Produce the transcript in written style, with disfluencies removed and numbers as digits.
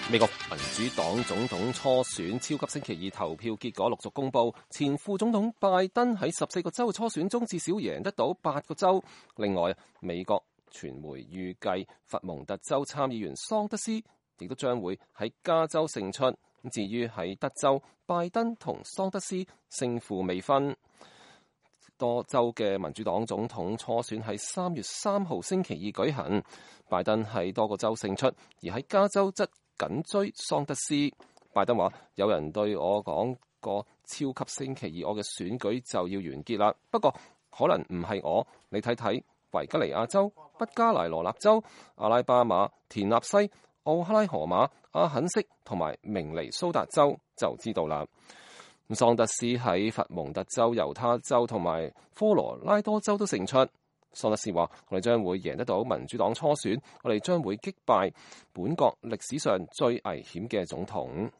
美國民主黨總統初選超級星期二投票結果陸續公布，前副總統拜登喺14個州嘅初選中至少贏得到8個州。另外，美國傳媒預計佛蒙特州參議員桑德斯亦都將會喺加州勝出。至於喺德州，拜登同桑德斯勝負未分。多州嘅民主黨總統初選喺3月3號星期二舉行，拜登喺多個州勝出，而喺加州則緊追桑德斯。拜登話：有人對我講過超級星期二我嘅選舉就要完結啦，不過可能唔係我。你睇睇維吉尼亞州、北加羅來納州、阿拉巴馬、田納西、奧克拉荷馬、阿肯色同埋明尼蘇達州就知道啦。桑德斯喺佛蒙特州、猶他州同埋科羅拉多州都勝出。桑德斯話：我哋將會贏得到民主黨初選，我哋將會擊敗本國歷史上最危險嘅總統。